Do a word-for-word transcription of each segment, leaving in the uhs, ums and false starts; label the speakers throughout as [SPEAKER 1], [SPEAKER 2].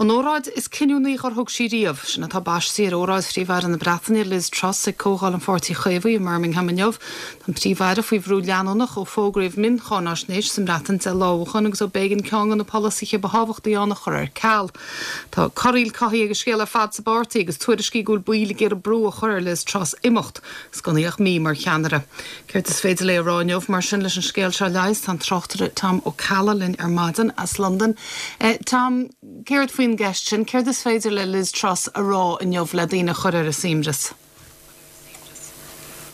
[SPEAKER 1] An óráid is cinniúnaí dár thug sí riamh, sin atá baiste ar óráid Phríomh-Aire na Breataine Liz Truss ag Comhdháil an Pháirtí Chaomhaigh i mBirmingham inniu. An Príomh-Aire faoi bhrú leanúnach ó fógraíodh mion-cháinaisnéis sa mBreatain de lámhachan agus ó b'éigean ceann de na polasaithe ba thábhachtaí ann a chur ar ceal. Tá corraíl cothaithe ag an scéal ar fad sa bpáirtí agus tuairiscí go bhfuil baill ag iarraidh brú a chur ar Liz Truss imeacht, 's gan í ach mí mar cheannaire. Céard is féidir léi a rá inniu mar sin leis an scéal seo leigheas tá an tráchtaire Tom Ó Ceallaigh linn ar maidin as Londain. Eh, Tom, céard faoin gceist sin, céard is féidir le Liz Truss a rá inniu le daoine a chur ar a suaimhneas.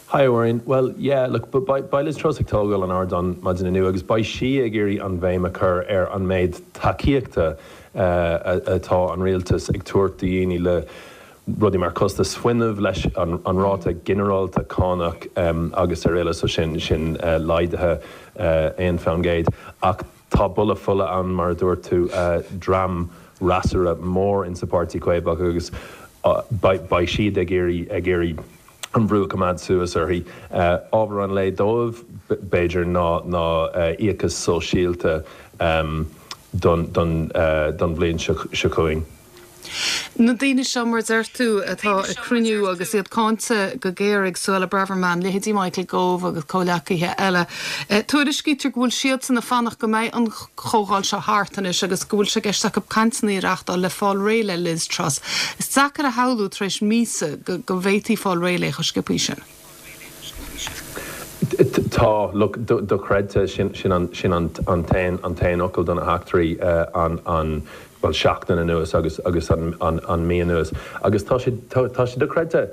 [SPEAKER 2] Hi Orin. Well yeah, look, but beidh, beidh Liz Truss ag tógáil an ardán maidin inniu agus beidh sí ag iarraidh an bhéim a chur ar an méid tacaíochta uh, atá an rialtas ag tabhairt do dhaoine le rudaí mar costas fuinnimh leis an, an ráta ginearálta cánach um, agus araile so sin sin uh, laghdaithe uh, aon faoin gcéad ach tá buille fola ann mar a dúirt tú uh, dream freasúra mór in sa Páirtí Caomhach agus uh, beidh siad ag iarraidh ag iarraidh an brú coimeád suas uirthi. Uh, ábhar an lae dóibh b'fhéidir ná ná uh, íocas sóisialta um, don, don, uh, don bhliain seo chugainn.
[SPEAKER 1] Na daoine seo mar deir tú atá ag cruinniú agus iad cáinte go géar ag Suella Braverman, leithéidí Michael Gove agus comhghleacaithe eile. E, Tuairiscítear go bhfuil siad san ag fanacht go mbeidh an chomhdháil seo thart anois agus go bhfuil sé i gceist acu cainteanna a reáchtáil le fáil réidh le Liz Truss. Is deacair a shamhlú tar éis míosa go, go bhféadfaí fáil réidh léi chomh sciobtha sin.
[SPEAKER 2] Tá look dochreidte sin sin an sin an an t-aon an t-aon fhocal do na heachtraí uh, an an well seachtain anuas agus agus an an an mí anuas agus tá sé tá sé dochreidte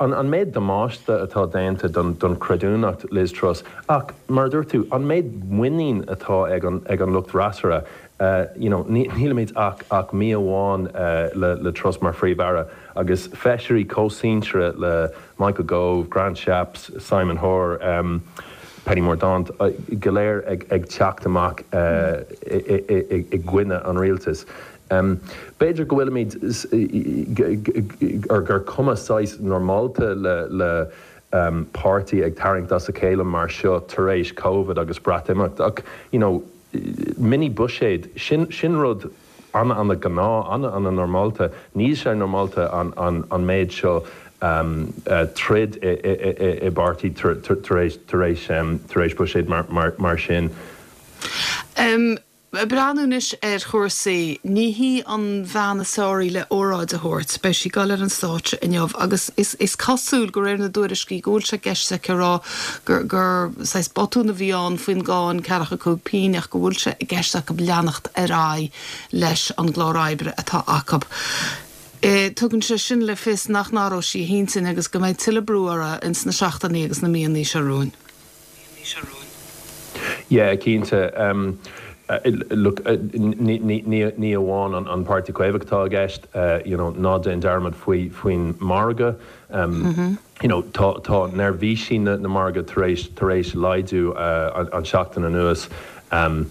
[SPEAKER 2] an, an méid damáiste atá déanta don, don creidiúnacht Liz Truss ach mar dúirt tú an méid muinín atá ag an, ag an lucht freasúra uh, you know, nílimid ach ach mí amháin uh, le, le Truss mar phríomh-aire agus feisirí comhshinseartha le Michael Gove, Grant Shapps, Simon Hoare, um, Penny Mordaunt uh, go léir ag, ag teacht amach uh, i gcoinne an rialtas. Um, B'fhéidir go bhfuilimid ar gur cuma saghas normálta le, le um, páirtí ag tarraingt as a chéile mar seo tar éis COVID agus Breatimeacht ach you know, mini buiséad sin, sin rud an an gnáth an an normálta, níl sé normálta an, an, an méid seo um, uh, troid i, i, i, i bpáirtí tar éis tar éis um, tar éis buiséad mar, mar, mar sin.
[SPEAKER 1] Um, Breathnú anois ar chúrsaí ní hí an bhean is fearr le óráid a thabhairt, beidh sí ag dul ar an stáitse inniu agus is, is cosúil de réir na dtuairiscí go bhfuil sé i gceist aici rá gur gur saghas botún a bhí ann faoin gcáin ceathracha cúig pingin ach go bhfuil sé i gceist acu leanacht ar aghaidh leis an gclár oibre atá acu. E, tugann sé sin le fios nach n-athróidh sí a hintinn agus go mbeidh tuilleadh brú uirthi ins na seachtainí agus na míonna seo romhainn.
[SPEAKER 2] Yeah, cinnte. Um, Uh, look uh, ní amháin an, an Páirtí Caomhach atá i gceist uh, you know, ná déan dearmad faoi faoin margadh um, mm -hmm. you know, tá, tá neirbhísí na, na margadh tar éis tar éis laghdú uh, an, an seachtain anuas um,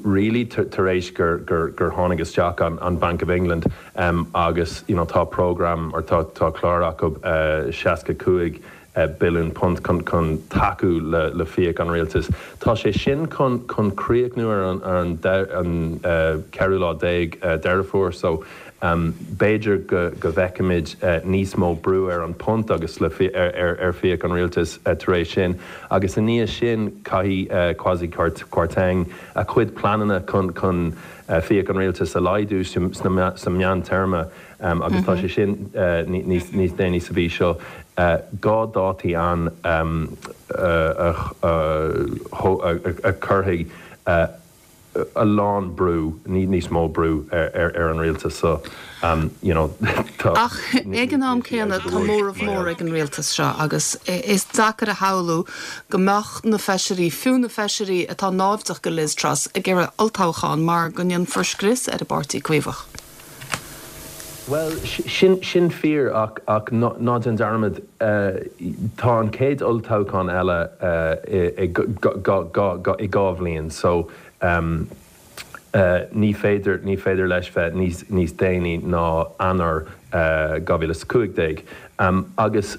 [SPEAKER 2] really tar éis gur, gur, gur tháinig isteach an, an Bank of England um, agus you know, tá program or tá, tá clár acu uh, seasca cúig uh, billiún punt chun chun tacú le, le fiach an rialtas. Tá sé sin chun chun críochnú ar an, ar an, an uh, ceathrú lá déag uh, Deireadh Fómhair so um, b'fhéidir go, go bhfeicfimid uh, níos mó brú ar an punt agus le fi, ar, ar, ar fiach an rialtas uh, tar éis sin agus i ndiaidh sin caithfidh uh, Kwasi Kwarteng a chuid pleananna chun chun uh, fiach an rialtas a laghdú sa meántéarma um, agus tá mm -hmm. sé sin uh, níos níos déanaí sa mhí seo. Uh, dhá dáta an um, uh, uh, a chuirfidh uh, a lán brú ní níos mó brú ar, ar, ar an rialtas so um, you know,
[SPEAKER 1] Ach ag an am céanna tá móramh mór ag an rialtas seo agus is deacair a shamhlú go mbeadh na feisirí fiú na feisirí atá náimhdeach go Liz Truss ag iarraidh olltoghchán mar go ndéanfar scrios ar an bPáirtí Caomhach.
[SPEAKER 2] Well sin sin fíor ach ach ná déan dearmad uh, tá an chéad olltoghchán eile uh, i i dhá bhliain so um, uh, ní féidir ní féidir leis bheith níos níos déanaí ná Eanáir uh, dhá mhíle cúig déag um, agus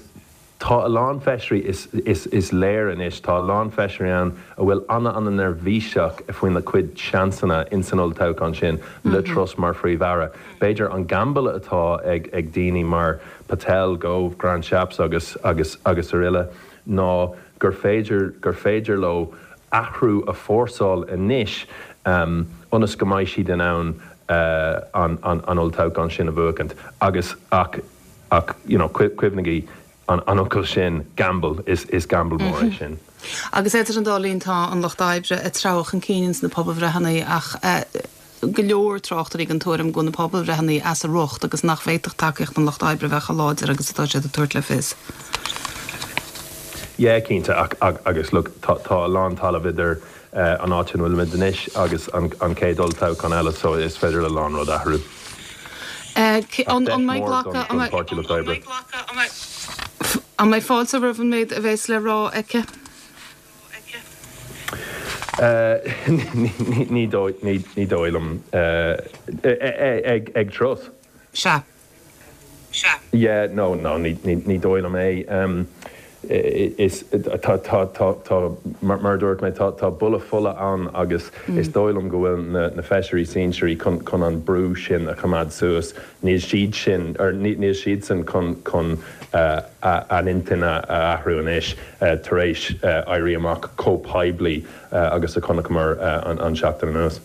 [SPEAKER 2] Tá a lán feisirí is, is, is léir anois, tá a lán feisirí ann a bhfuil an-an-neirbhíseach faoina gcuid seansanna in san olltoghchán sin le Truss mar phríomh-aire. B'fhéidir an gamble atá ag, ag daoine mar Patel, Gove, Grant Shapps agus, agus, agus araile ná gur féidir, gur féidir leo athrú a forsáil anois um, ionas go mbeidh siad in ann uh, an, an, an olltoghchán sin a bhuachaint. Agus ach, ach you know, cuimhnigí an an fhocal sin gamble is is gamble mór é sin.
[SPEAKER 1] Agus idir an dá linn tá an Lucht Oibre ag treabhadh chun cinn sna pobalbhreitheanna ach uh, go leor tráchtairí den tuairim go na pobalbhreitheanna as a riocht agus nach bhféadfadh tacaíocht an Lucht Oibre bheith chomh láidir agus atá siad ag tabhairt le fios.
[SPEAKER 2] Yeah, cinnte ach, ach, agus look, tá, tá a lán talamh idir uh, an áit ina bhfuilimid anois agus an, an chéad olltoghchán eile so is féidir le lán rud athrú.
[SPEAKER 1] Uh, an an mbeidh glacadh an mbeidh fáilte roimh an méid a bheas le rá aici?
[SPEAKER 2] Uh, ní ní dóigh liom uh, ag ag Truss.
[SPEAKER 1] Sea.
[SPEAKER 2] Yeah, no no ní ní dóigh liom é. Um, is tá tá tá tá mar dúirt mé tá tá bulle fola ann agus mm. is dóigh liom go bhfuil na, na feisirí sinsearacha chun chun an brú sin a choimeád suas níl siad sin ar níl siad sin chun chun uh, a n-intinn a athrú anois uh, tar éis uh, éirí amach chomh poiblí uh, agus a chonaiceamar uh, an, an seachtain anuas.